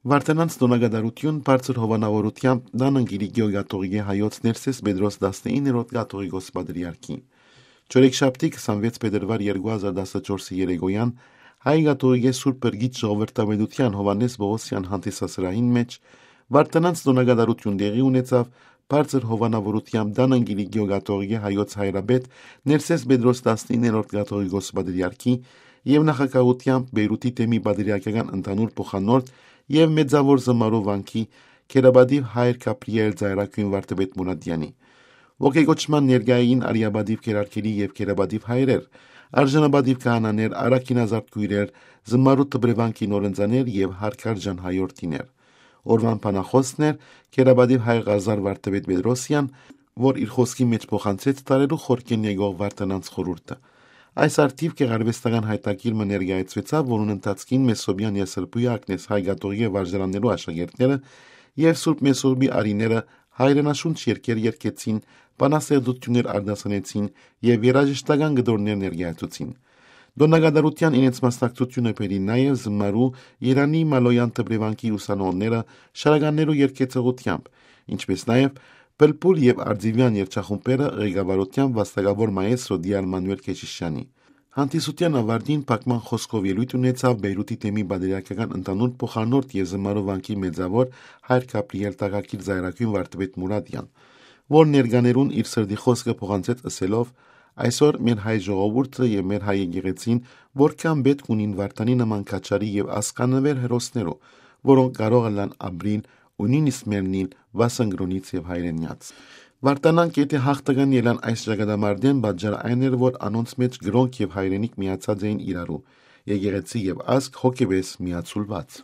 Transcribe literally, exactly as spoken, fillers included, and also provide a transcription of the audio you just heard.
Վարդանանց տօնակատարութիւն բարձր հովանաւորութեամբ տանն կ'իլի գեոկաթողիկէ հայոց Ներսէս Պետրոս տասնիններորդ կաթողիկոս պատրիարքի։ Չորեքշաբթի քսանվեց փետրուար երկու հազար տասնչորսի երեկոյան հայ կաթողիկէ Սուրբ Փրկիչ ժողովրդավետութեան Հովհաննէս Պողոսեան հանդիսասրահին մէջ Վարդանանց տօնակատարութիւն տեղի ունեցաւ բարձր հովանաւորութեամբ տանն կ'իլի գեոկաթողիկէ հայոց հայրապետ Ներսէս Պետրոս տասնիններորդ կաթողիկոս պատրիարքի եւ նախագահութեամբ Բեյրութի թեմի պատրիարքական ընդհանուր փոխանորդ եւ Մեծաւոր Զմարու վանքի քերապատիւ հայր Գաբրիէլ Ծայրագոյն վարդապետ Մուրադեանի։ Ոգեկոչման ներկայ էին արիապատիւ քերարքերի եւ քերապատիւ հայրեր, արժանապատիվ քահանաներ, առաքինազարդ քոյրեր, Զմարու դպրեվանքի նորընծաներ եւ Հարկարժան հայորդիներ։ Օրուան բանախօսն էր քերապատիւ հայր Ղազար վարդապետ Պետրոսեան, որ իր խօսքի մէջ փոխանցեց տարերու խորքէն եկող Վարդանանց խորհուրդը։ Այս առթիւ գեղարուեստական յայտագիր մը ներկայացուեցաւ, որուն ընթացքին Մեսոպեան Եսրբոյ Ակնես հայ կաթողիկէ վարժարաններու աշակերտները եւ Սուրբ Մեսոպի արիները հայրենաշունչ երկեր երգեցին, բանաստեղծութիւններ արտասանեցին եւ երաժշտական կտորներ ներկայացուցին։ Տօնակատարութեան իրենց մասնակցութիւնը բերի նաեւ Զմարու Երանի Մալոյան դպրեվանքի ուսանողները շարականներու երգեցողութեամբ, ինչպէս նաեւ Պլպուլ եւ Արձիվեան երգչախումբերը ղեկավարութեամբ վաստակաւոր մայեստրո Դիալ Մանուել Քեշիշյանի։ Հանդիսութեան աւարտին փակման խօսքով ելոյթ ունեցաւ Բեյրութի թեմի պատրիարքական ընդհանուր փոխանորդ եւ Զմարու վանքի Մեծաւոր հայր Գաբրիէլ Տակակիր Ծայրագոյն վարդապետ Մուրադեան, որ ներկաներուն իր սրտի խօսքը փոխանցեց ըսելով. «Այսօր մեր հայ ժողովուրդը եւ մեր հայ եկեղեցին որքան պէտք ունին Վարդանի նման քաջարի եւ ազգանուէր հերոսներու, որոնք կարող ըլլան ապրիլ ու նոյնիսկ մեռնիլ վասն կրօնից եւ հայրենեաց»։ Վարդանանք եթէ յաղթական ելան այս ճակատամարտէն, պատճառը այն էր, որ անոնց մէջ կրօնք եւ հայրենիք միացած էին իրարու, եկեղեցի եւ ազգ հոգեվէս միացուլուած։